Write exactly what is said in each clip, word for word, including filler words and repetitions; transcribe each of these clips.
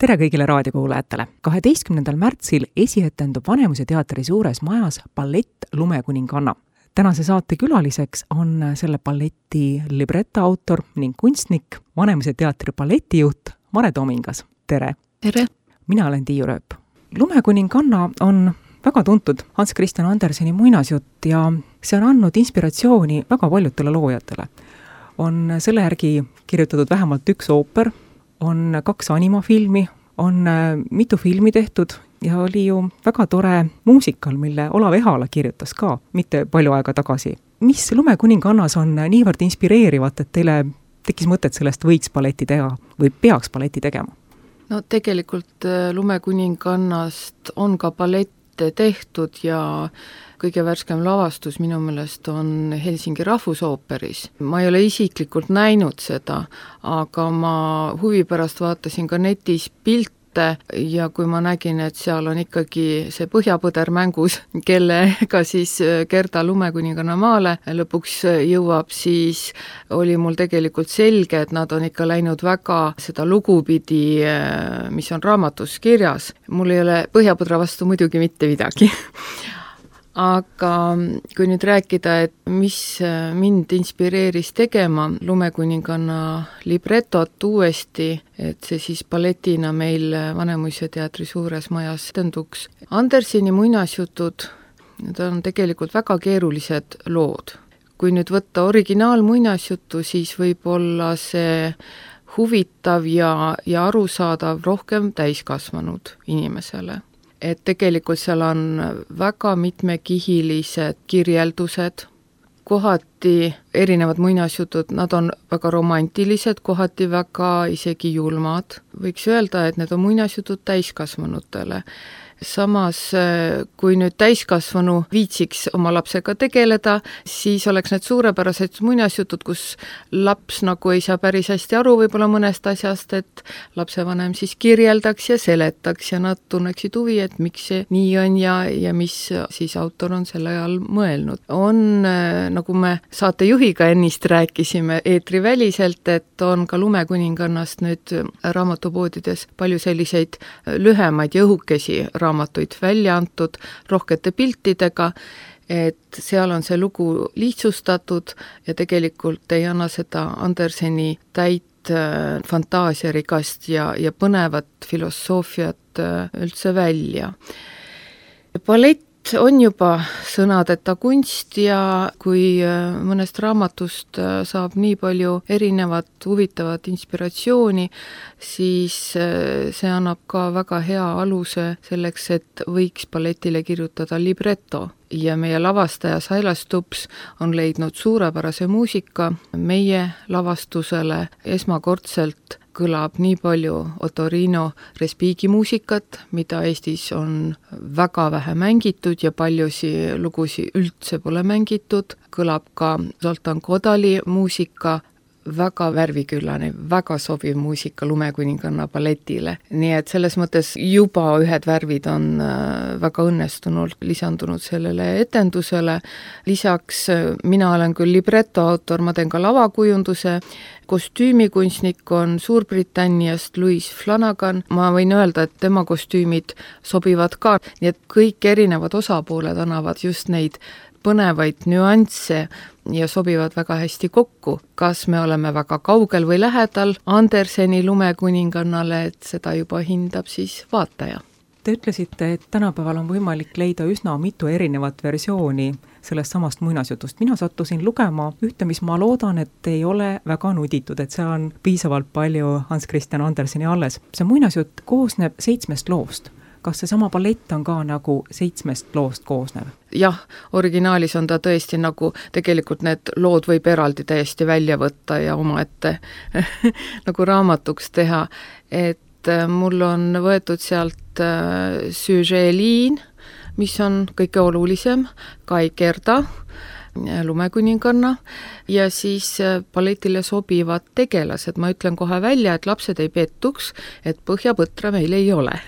tere kõigile raadiokuulajatele! kaheteistkümnendal märtsil esietendub Vanemuise teatri suures majas ballett Lumekuninganna. Tänase saate külaliseks on selle balleti libreto autor ning kunstnik, Vanemuise teatri balletijuht Mare Tomingas. Tere! Tere! Mina olen Tiiu Rööp. Lumekuninganna on väga tuntud Hans Christian Anderseni muinasjutt ja see on andnud inspiratsiooni väga paljudele loojatele. On selle järgi kirjutatud vähemalt üks ooper, on kaks animafilmi, on mitu filmi tehtud ja oli ju väga tore muusikal, mille Olav Ehala kirjutas ka mitte palju aega tagasi. Mis Lumekuningannas on niivõrd inspireerivat, et teile tekkis mõtet sellest võiks balleti teha või peaks balleti tegema? No tegelikult Lumekuningannast on ka ballette tehtud ja kõige värskem lavastus minu meelest on Helsingi Rahvusooperis. Ma ei ole isiklikult näinud seda, aga ma huvi pärast vaatasin ka netis pilte ja kui ma nägin, et seal on ikkagi see Põhjapõder mängus, kellega siis Gerda Lumekuninganna maale lõpuks jõuab, siis oli mul tegelikult selge, et nad on ikka läinud väga seda lugupidi, mis on raamatus kirjas. Mul ei ole Põhjapõdra vastu muidugi mitte midagi. Aga kui nüüd rääkida, et mis mind inspireeris tegema Lumekuninganna libretot uuesti, et see siis balletina meil Vanemuise teatri suures majas etenduks. Anderseni muinasjutud, need on tegelikult väga keerulised lood. Kui nüüd võtta originaal muinasjutu, siis võib olla see huvitav ja, ja arusaadav rohkem täiskasvanud inimesele. Et tegelikult seal on väga mitmekihilised kirjeldused, kohati erinevad muinasjutud, nad on väga romantilised, kohati väga isegi julmad. Võiks öelda, et need on muinasjutud täiskasvanutele. Samas, kui nüüd täiskasvanu viitsiks oma lapsega tegeleda, siis oleks need suurepärased muinasjutud, kus laps nagu ei saa päris hästi aru võib-olla mõnest asjast, et lapsevanem siis kirjeldaks ja seletaks ja nad tunneksid huvi, et miks see nii on ja, ja mis siis autor on selle ajal mõelnud. On, nagu me saatejuhiga ennist rääkisime eetriväliselt, et on ka Lumekuningannast nüüd raamatupoodides palju selliseid lühemaid ja õhukesi raamatuid välja antud rohkete piltidega, et seal on see lugu lihtsustatud ja tegelikult ei anna seda Anderseni täit fantaasiarikast ja, ja põnevat filosoofiat üldse välja. Ballett on juba sõnadeta kunst ja kui mõnest raamatust saab nii palju erinevat huvitavat inspiratsiooni, siis see annab ka väga hea aluse selleks, et võiks balletile kirjutada libreto. Ja meie lavastaja Sailas Tups on leidnud suurepärase muusika meie lavastusele esmakordselt kõlab nii palju Ottorino Respighi muusikat, mida Eestis on väga vähe mängitud ja paljusi lugusi üldse pole mängitud. Kõlab ka Zoltan Kodali muusika, väga värviküllane, väga sobiv muusika Lumekuninganna balletile. Nii et selles mõttes juba ühed värvid on väga õnnestunult lisandunud sellele etendusele. Lisaks mina olen küll libreto autor, ma teen ka lavakujunduse. Kostüümikunstnik on Suurbritanniast Louis Flanagan. Ma võin öelda, et tema kostüümid sobivad ka. Nii et kõik erinevad osapooled annavad just neid põnevaid nüansse ja sobivad väga hästi kokku. Kas me oleme väga kaugel või lähedal Anderseni Lumekuningannale, et seda juba hindab siis vaataja. Te ütlesite, et tänapäeval on võimalik leida üsna mitu erinevat versiooni sellest samast muinasjutust. Mina sattusin lugema ühte, mis ma loodan, et ei ole väga nuditud, et see on piisavalt palju Hans Christian Anderseni alles. See muinasjutt koosneb seitsmest loost. Kas see sama ballett on ka nagu seitsmest loost koosnev? Jah, originaalis on ta tõesti nagu, tegelikult need lood võib eraldi täiesti välja võtta ja omaette nagu raamatuks teha. Et mul on võetud sealt süžeeliin, mis on kõige olulisem, Kai Gerda, Lumekuninganna ja siis balletile sobivad tegelased. Ma ütlen kohe välja, et lapsed ei pettuks, et Põhjapõtra meil ei ole.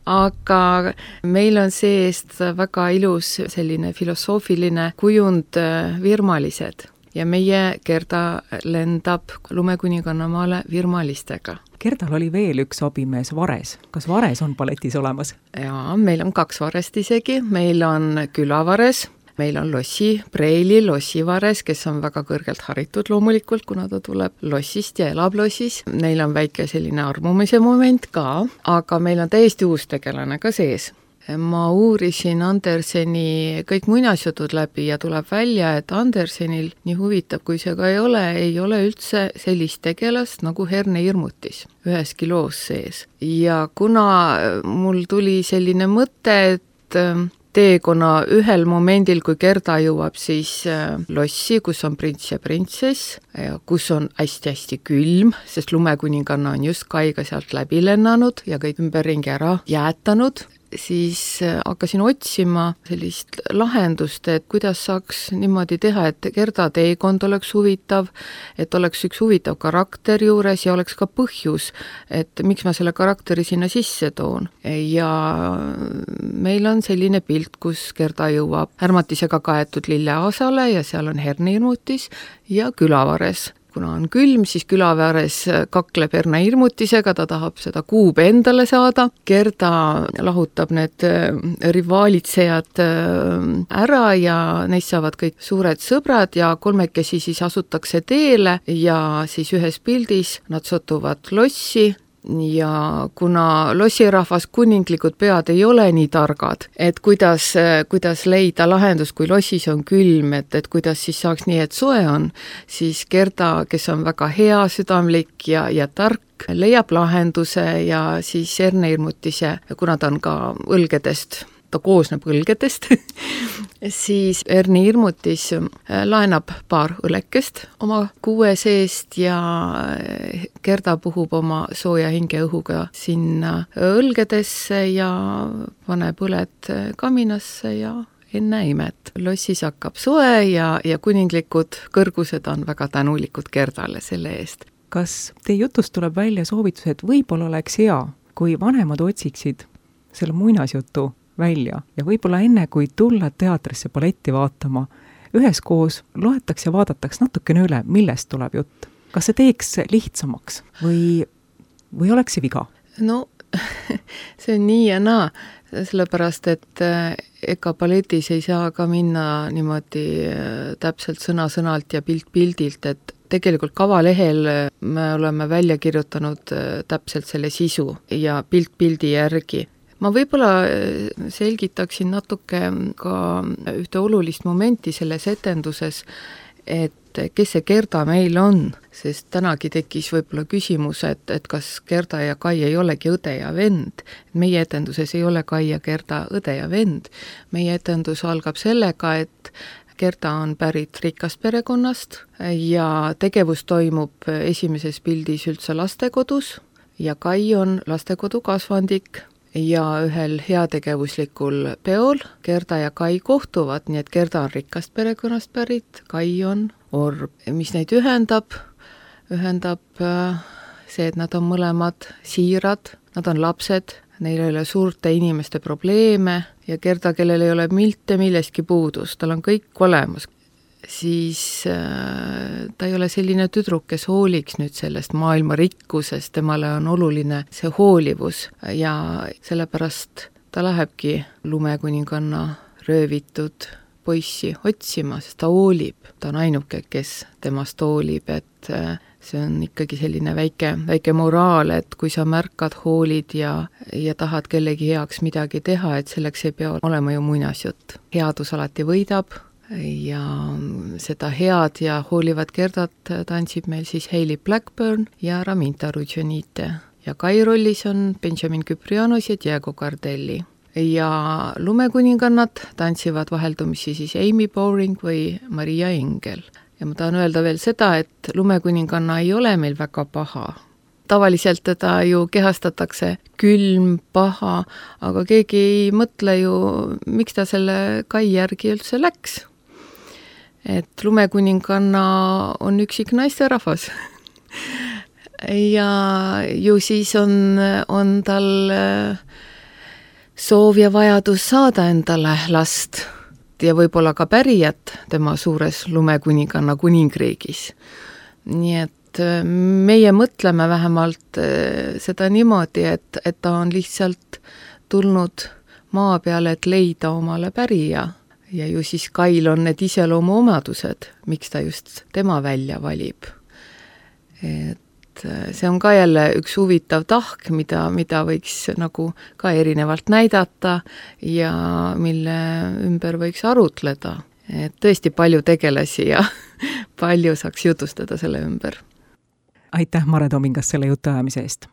Aga meil on seest väga ilus selline filosoofiline kujund virmalised ja meie Gerda lendab Lumekuninganna maale virmalistega. Gerdal oli veel üks abimees, Vares. Kas Vares on balletis olemas? Jaa, meil on kaks Varest isegi, meil on külavares, meil on Lossi, Preili Lossivares, kes on väga kõrgelt haritud loomulikult, kuna ta tuleb Lossist ja elab Lossis. Neil on väike selline armumise moment ka, aga meil on täiesti uus tegelane ka sees. Ma uurisin Anderseni kõik muinasjutud läbi ja tuleb välja, et Andersenil, nii huvitav kui see ka ei ole, ei ole üldse sellist tegelast nagu Herne Irmutis üheski loos sees. Ja kuna mul tuli selline mõte, et teekonna ühel momendil, kui Gerda jõuab siis Lossi, kus on prints ja printsess, ja kus on hästi-hästi külm, sest lumekuninganna on just Kaiga sealt läbi lennanud ja kõik ümberringi ära jäätanud, siis hakkasin otsima sellist lahendust, et kuidas saaks niimoodi teha, et Gerda teekond oleks huvitav, et oleks üks huvitav karakter juures ja oleks ka põhjus, et miks ma selle karakteri sinna sisse toon. Ja meil on selline pilt, kus Gerda jõuab Ärmatisega kaetud lilleaasale ja seal on Herne Irmutis ja külavares. Kuna on külm, siis külavares kakleb Herne Irmutisega, ta tahab seda kuube endale saada. Gerda lahutab need rivaalitsejad ära ja neist saavad kõik suured sõbrad ja kolmekesi siis asutakse teele ja siis ühes pildis nad satuvad Lossi. Ja kuna lossirahvas kuninglikud pead ei ole nii targad, et kuidas, kuidas leida lahendus, kui Lossis on külm, et, et kuidas siis saaks nii, et soe on, siis Gerda, kes on väga hea, südamlik ja, ja tark, leiab lahenduse ja siis Herne Irmutise, kuna ta on ka õlgedest, ta koosneb õlgedest, siis Herne Irmutis laenab paar õlekest oma kuue seest ja Gerda puhub oma sooja hingeõhuga sinna õlgedesse ja paneb õled kaminasse ja enne imet. Lossis hakkab soe ja, ja kuninglikud kõrgused on väga tänulikud Gerdale selle eest. Kas teie jutust tuleb välja soovitus, et võib-olla oleks hea, kui vanemad otsiksid selle muinasjutu välja ja võib-olla enne, kui tulla teatrisse balletti vaatama, üheskoos loetaks ja vaadatakse natukene üle, millest tuleb jutt. Kas see teeks lihtsamaks või, või oleks see viga? No, see on nii ja naa, sellepärast, et ega balletis ei saa ka minna niimoodi täpselt sõna-sõnalt ja pilt-pildilt, et tegelikult kavalehel me oleme välja kirjutanud täpselt selle sisu ja pilt-pildi järgi. Ma võib-olla selgitaksin natuke ka ühte olulist momenti selles etenduses, et kes see Gerda meil on, sest tänagi tekkis võib-olla küsimus, et, et kas Gerda ja Kai ei olegi õde ja vend. Meie etenduses ei ole Kai ja Gerda õde ja vend. Meie etendus algab sellega, et Gerda on pärit rikast perekonnast ja tegevus toimub esimeses pildis üldse lastekodus ja Kai on lastekodu kasvandik. Ja ühel heategevuslikul peol Gerda ja Kai kohtuvad, nii et Gerda on rikkast perekonnast pärit, Kai on orb. Mis neid ühendab? Ühendab see, et nad on mõlemad siirad, nad on lapsed, neil ei ole suurte inimeste probleeme ja Gerda, kellel ei ole mitte millestki puudus, tal on kõik olemas. Siis äh, ta ei ole selline tüdruk, kes hooliks nüüd sellest maailma rikkusest, temale on oluline see hoolivus ja sellepärast ta lähebki lumekuninganna röövitud poissi otsima, sest ta hoolib, ta on ainuke, kes temast hoolib, et äh, see on ikkagi selline väike, väike moraal, et kui sa märkad, hoolid ja, ja tahad kellegi heaks midagi teha, et selleks ei pea olema ju muinasjutt. Headus alati võidab ja seda head ja hoolivat Gerdat tantsib meil siis Hayley Blackburn ja Raminta Rudžonite. Ja Kai rollis on Benjamin Kyprianos ja Diego Cardelli. Ja lumekuningannad tantsivad vaheldumisi siis Amy Bowring või Maria Engel. Ja ma tahan öelda veel seda, et lumekuninganna ei ole meil väga paha. Tavaliselt teda ju kehastatakse külm, paha, aga keegi ei mõtle ju, miks ta selle Kai järgi üldse läks. Et lumekuninganna on üksik naisterahvas. ja ju siis on, on tal soov ja vajadus saada endale last ja võib-olla ka pärijat tema suures lumekuninganna kuningriigis. Nii et et meie mõtleme vähemalt seda niimoodi, et, et ta on lihtsalt tulnud maa peale, et leida omale pärija. Ja ju siis Kail on need iseloomuomadused, miks ta just tema välja valib. Et see on ka jälle üks huvitav tahk, mida, mida võiks nagu ka erinevalt näidata ja mille ümber võiks arutleda. Et tõesti palju tegelasi ja palju saaks jutustada selle ümber. Aitäh, Mare Tomingas, selle jutuajamise eest!